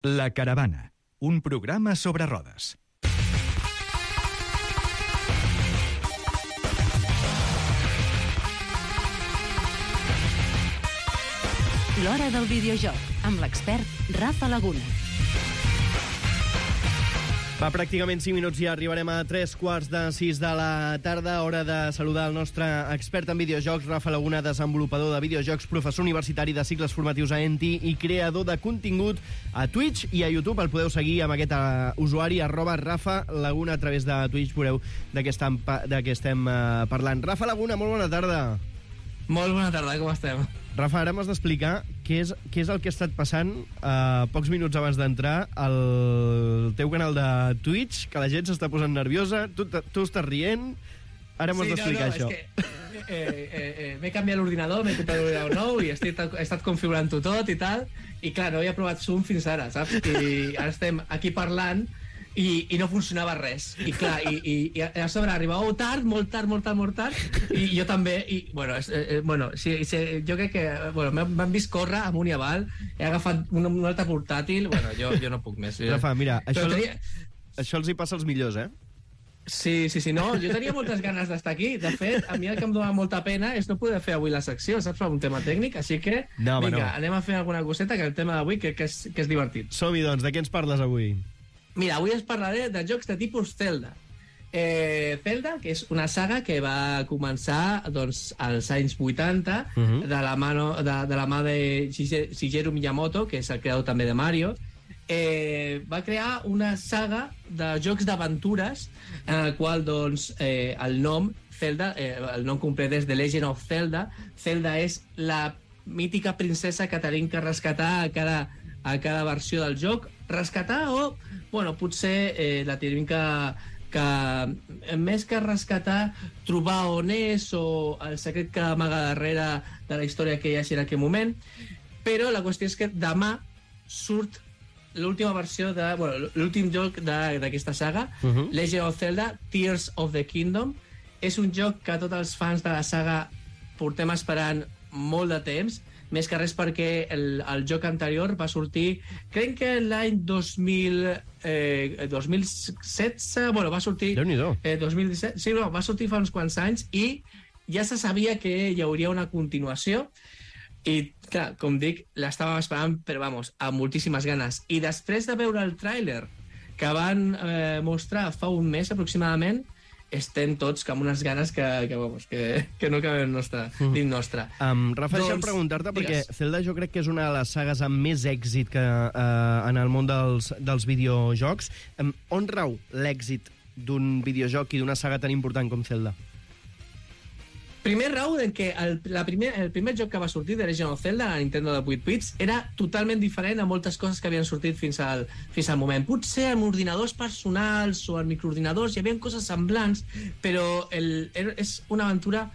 La Caravana, un programa sobre rodes. L'Hora del Videojoc, amb l'expert Rafa Laguna. Va, pràcticament 5 minuts i arribarem a 3:45 de la tarda. Hora de saludar el nostre expert en videojocs, Rafa Laguna, desenvolupador de videojocs, professor universitari de cicles formatius a ENTI i creador de contingut a Twitch i a YouTube. El podeu seguir amb aquest usuari, @Rafa Laguna, a través de Twitch. Veureu de què estem parlant. Rafa Laguna, molt bona tarda. Molt bona tarda, com estem? Rafa, ara m'has d'explicar què és el que ha estat passant pocs minuts abans d'entrar al teu canal de Twitch, que la gent s'està posant nerviosa, tu estàs rient, ara m'has d'explicar això. És que m'he canviat l'ordinador, m'he comprat l'ordinador nou i he estat configurant-ho tot i tal, i clar, no havia provat Zoom fins ara, saps? I ara estem aquí parlant i no funcionava res, i clar, i a sobre arribàveu tard, molt tard, i jo també, i bueno, jo crec que m'han vist córrer amunt i avall, he agafat un altre portàtil, bueno, jo no puc més. Rafa, mira, això els hi passa als millors, eh? Sí, no, jo tenia moltes ganes d'estar aquí. De fet, a mi el que em dona molta pena és no poder fer avui la secció, saps, per un tema tècnic, així que, vinga, anem a fer alguna coseta, que el tema d'avui que és divertit. Som-hi, doncs, de què ens parles avui? Mira, avui us parlaré de jocs de tipus Zelda. Zelda, que és una saga que va començar doncs, als anys 80 de la mà de Shigeru Miyamoto, que és el creador també de Mario. Va crear una saga de jocs d'aventures en el qual doncs, el nom Zelda, el nom complet és The Legend of Zelda. Zelda és la mítica princesa que tenim que rescatar a cada versió del joc. Rescatar o, bueno, potser la tenim que més que rescatar, trobar on és o el secret que amaga darrere de la història que hi hagi en aquell moment. Però la qüestió és que demà surt l'última versió l'últim joc d'aquesta saga, Legend of Zelda, Tears of the Kingdom. És un joc que tots els fans de la saga portem esperant molt de temps, més que res perquè el joc anterior va sortir, crec que l'any 2016, bueno, va sortir... Déu-n'hi-do. 2017, sí, no, va sortir fa uns quants anys i ja se sabia que hi hauria una continuació i, clar, com dic, l'estàvem esperant, però, vamos, amb moltíssimes ganes. I després de veure el tràiler que van mostrar fa un mes aproximadament, estem tots amb unes ganes que no caben dins nostre. Rafa, deixa'm preguntar-te, perquè Zelda jo crec que és una de les sagues amb més èxit que en el món dels videojocs. On rau l'èxit d'un videojoc i d'una saga tan important com Zelda? Primer rau en què el primer joc que va sortir de Legend of Zelda a Nintendo de 8 bits era totalment diferent a moltes coses que havien sortit fins al moment. Potser amb ordinadors personals o amb microordinadors hi havia coses semblants, però és una aventura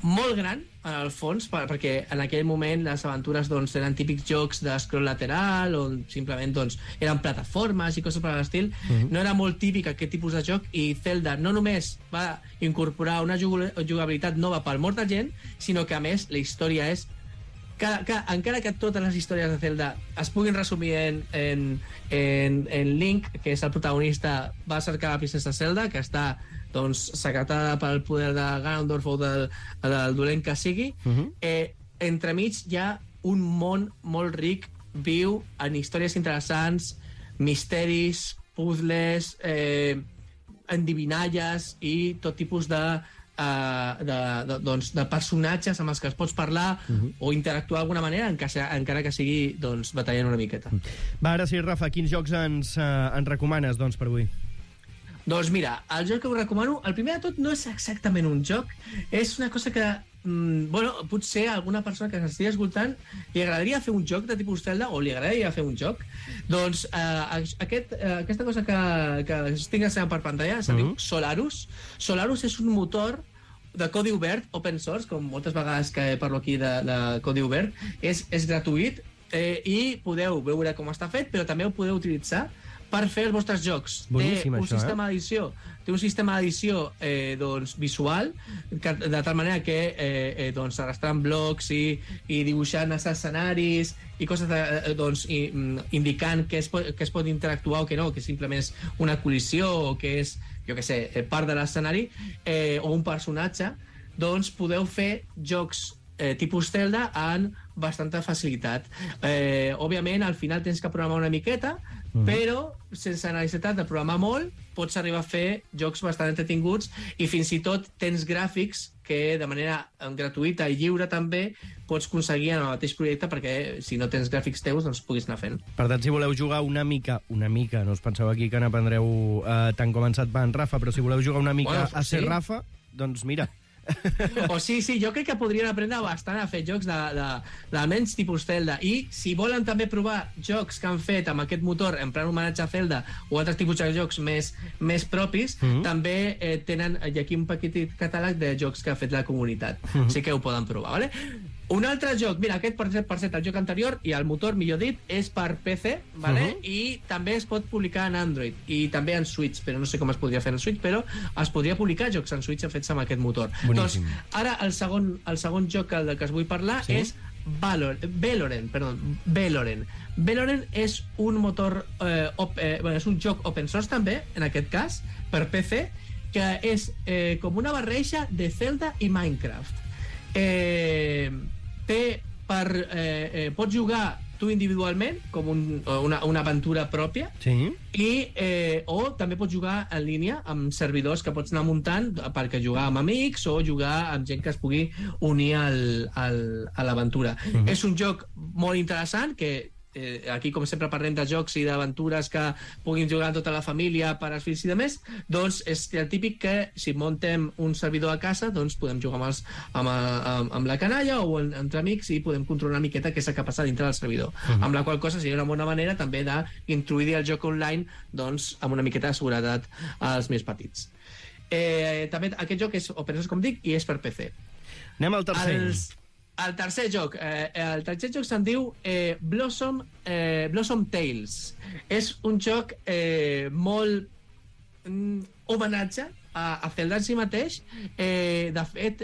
molt gran en el fons, perquè en aquell moment les aventures doncs, eren típics jocs d'escroll lateral on simplement doncs, eren plataformes i coses per l'estil. No era molt típic aquest tipus de joc, i Zelda no només va incorporar una jugabilitat nova per molta gent, sinó que a més la història és encara que totes les històries de Zelda es puguin resumir en Link, que és el protagonista, va cercar la princesa Zelda, que està doncs, secretada pel poder de Ganondorf o del dolent que sigui. Entremig hi ha un món molt ric, viu, en històries interessants, misteris, puzzles, endivinalles i tot tipus de personatges amb els que es pots parlar o interactuar d'alguna manera, encara que sigui doncs, batallant una miqueta. Va, ara sí, Rafa, quins jocs ens recomanes doncs, per avui? Doncs mira, el joc que us recomano, el primer de tot no és exactament un joc, és una cosa que potser a alguna persona que s'estigui escoltant li agradaria fer un joc de tipus Zelda o li agradaria fer un joc. Doncs aquesta cosa que estic ensenyant per pantalla se diu Solarus. Solarus és un motor de codi obert, open source, com moltes vegades que parlo aquí de codi obert. És gratuït, i podeu veure com està fet, però també ho podeu utilitzar per fer els vostres jocs. Boníssim, Té un això, sistema d'edició. Té un sistema d'edició doncs, visual, de tal manera que doncs, arrastrant blocs i dibuixant els escenaris i coses doncs, indicant que es pot interactuar o que no, que simplement és una col·lisió o que és, jo què sé, part de l'escenari o un personatge, doncs podeu fer jocs tipus Zelda amb bastanta facilitat. Òbviament, al final tens que programar una miqueta, però sense necessitat de programar molt pots arribar a fer jocs bastant entretinguts i fins i tot tens gràfics que de manera gratuïta i lliure també pots aconseguir en el mateix projecte perquè si no tens gràfics teus doncs puguis anar fent. Per tant, si voleu jugar una mica, no us penseu aquí que n'aprendreu tant com ens et va en Rafa, però si voleu jugar una mica a ser Rafa, doncs mira... O sí, jo crec que podrien aprendre bastant a fer jocs d'almenys tipus Zelda, i si volen també provar jocs que han fet amb aquest motor en plan homenatge a Zelda o altres tipus de jocs més propis, també tenen aquí un petit catàleg de jocs que ha fet la comunitat, així que ho poden provar, vale? Un altre joc, mira, aquest per cert, el joc anterior i el motor, millor dit, és per PC, vale? I també es pot publicar en Android i també en Switch, però no sé com es podria fer en Switch, però es podria publicar jocs en Switch fets amb aquest motor. Boníssim. Doncs ara el segon joc del que us vull parlar és Veloren. Veloren és un motor és un joc open source també, en aquest cas, per PC, que és com una barreja de Zelda i Minecraft. Pots jugar tu individualment com una aventura pròpia, o també pots jugar en línia amb servidors que pots anar muntant perquè jugar amb amics o jugar amb gent que es pugui unir a l'aventura. És un joc molt interessant que aquí com sempre parlem de jocs i d'aventures que puguin jugar tota la família per als fills i demés, doncs és el típic que si muntem un servidor a casa doncs podem jugar amb la canalla o entre amics i podem controlar una miqueta què és el que passa dintre del servidor, amb la qual cosa seria una bona manera també d'introduir el joc online doncs amb una miqueta de seguretat als més petits. També aquest joc és open source, com dic, i és per PC. Anem al tercer. El tercer joc se'n diu Blossom Tales. És un joc molt homenatge a Zelda en si mateix. De fet,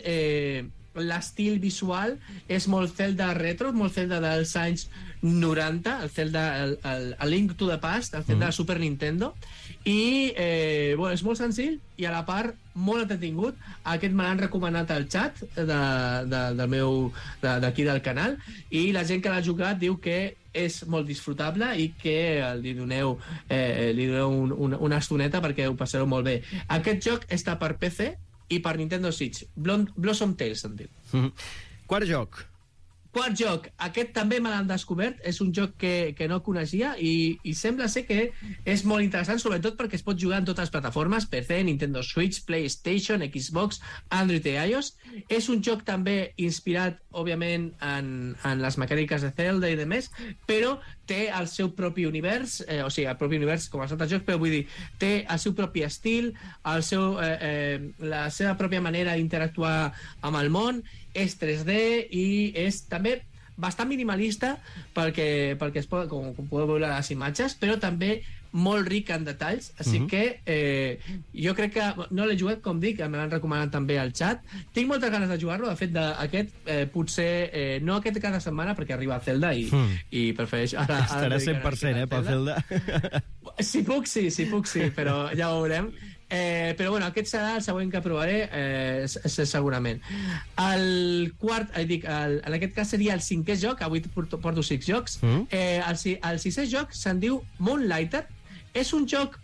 l'estil visual és molt Zelda retro, molt Zelda dels anys 90, el Zelda, el Link to the Past, el Zelda de Super Nintendo, i és molt senzill i a la part molt entretingut. Aquest me l'han recomanat al xat d'aquí del canal, i la gent que l'ha jugat diu que és molt disfrutable i que li doneu una estoneta perquè ho passareu molt bé. Aquest joc està per PC i per Nintendo Switch. Blossom Tales se'n diu. Quart joc. Aquest també me l'han descobert, és un joc que no coneixia i sembla ser que és molt interessant, sobretot perquè es pot jugar en totes les plataformes, PC, Nintendo Switch, PlayStation, Xbox, Android i iOS. És un joc també inspirat, òbviament, en les mecàniques de Zelda i demés, però té el seu propi univers, o sigui, el propi univers com els altres jocs, però vull dir, té el seu propi estil, la seva pròpia manera d'interactuar amb el món, és 3D i és també bastant minimalista perquè es pot, com podeu veure les imatges, però també molt ric en detalls, així que jo crec que no l'he jugat, com dic, me l'han recomanat també al xat. Tinc moltes ganes de jugar-lo, de fet aquest potser no aquest cada setmana perquè arriba a Zelda i prefereix ara estarà 100% pel Zelda. Si puc sí, però ja ho veurem. Però bueno, aquest serà el següent que provaré segurament. El quart, en aquest cas seria el cinquè joc, avui porto 6 jocs. El sisè joc se'n diu Moonlighter. És un joc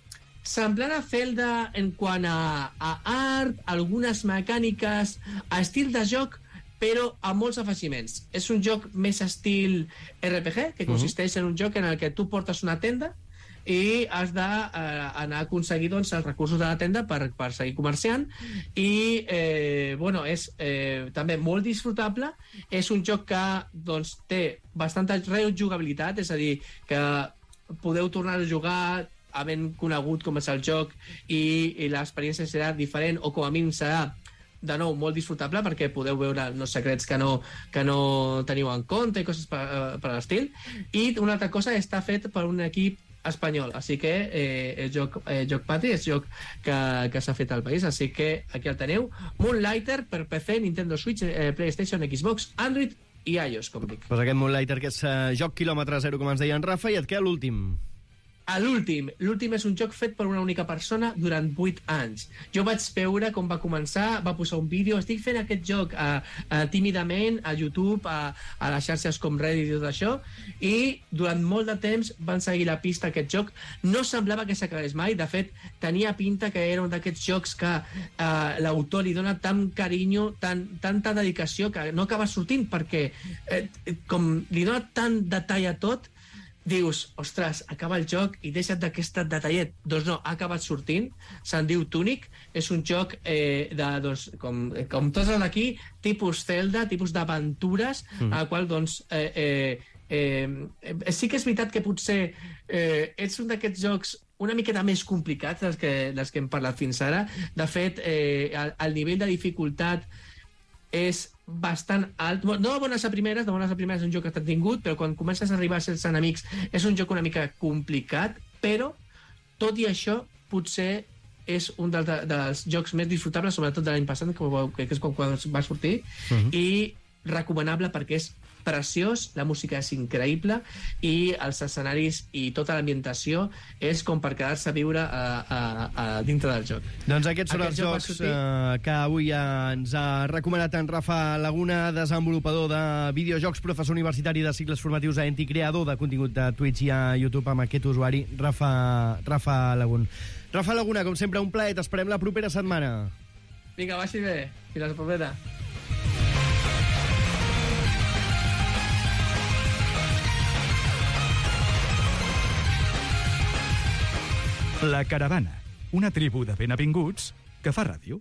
semblant a Zelda en quant a art, algunes mecàniques, a estil de joc, però amb molts afegiments. És un joc més estil RPG, que consisteix en un joc en el que tu portes una tenda i has d'anar a aconseguir doncs, els recursos de la tenda per seguir comerciant, i és també molt disfrutable. És un joc que doncs, té bastanta rejugabilitat, és a dir, que podeu tornar a jugar havent conegut com és el joc i l'experiència serà diferent, o com a mínim serà de nou, molt disfrutable perquè podeu veure els secrets que no teniu en compte i coses per l'estil. I una altra cosa, està fet per un equip espanyol, així que el joc Patri és joc que s'ha fet al país, així que aquí el teniu. Moonlighter per PC, Nintendo Switch, PlayStation, Xbox, Android i iOS, com dic. Pues aquest Moonlighter, que és joc quilòmetre zero, com ens deia en Rafa, i et queda l'últim. L'últim és un joc fet per una única persona durant 8 anys. Jo vaig veure com va començar, va posar un vídeo, estic fent aquest joc tímidament a YouTube, a les xarxes com Reddit i tot això, i durant molt de temps van seguir la pista a aquest joc. No semblava que s'acabés mai, de fet, tenia pinta que era un d'aquests jocs que l'autor li dona tant carinyo, tanta dedicació, que no acaba sortint, perquè com li dona tant detall a tot, dius, ostres, acaba el joc i deixa't d'aquest detallet. Doncs no, ha acabat sortint, se'n diu Tunic, és un joc com tots els d'aquí, tipus Zelda, tipus d'aventures, al qual, doncs, sí que és veritat que potser ets un d'aquests jocs una miqueta més complicats dels que hem parlat fins ara. De fet, el nivell de dificultat és bastant alt. No de bones a primeres és un joc que està tingut, però quan comences a arribar a certs enemics és un joc una mica complicat, però tot i això potser és un dels jocs més disfrutables, sobretot de l'any passat, que és quan va sortir, i recomanable perquè és preciós, la música és increïble i els escenaris i tota l'ambientació és com per quedar-se a viure dintre del joc. Doncs aquests són els jocs que avui ens ha recomanat en Rafa Laguna, desenvolupador de videojocs, professor universitari de cicles formatius a ENTI, creador de contingut de Twitch i a YouTube amb aquest usuari, Rafa Laguna. Rafa Laguna, com sempre, un plaer. T'esperem la propera setmana. Vinga, vagi bé. Fins la propera. La Caravana, una tribu de ben avinguts que fa ràdio.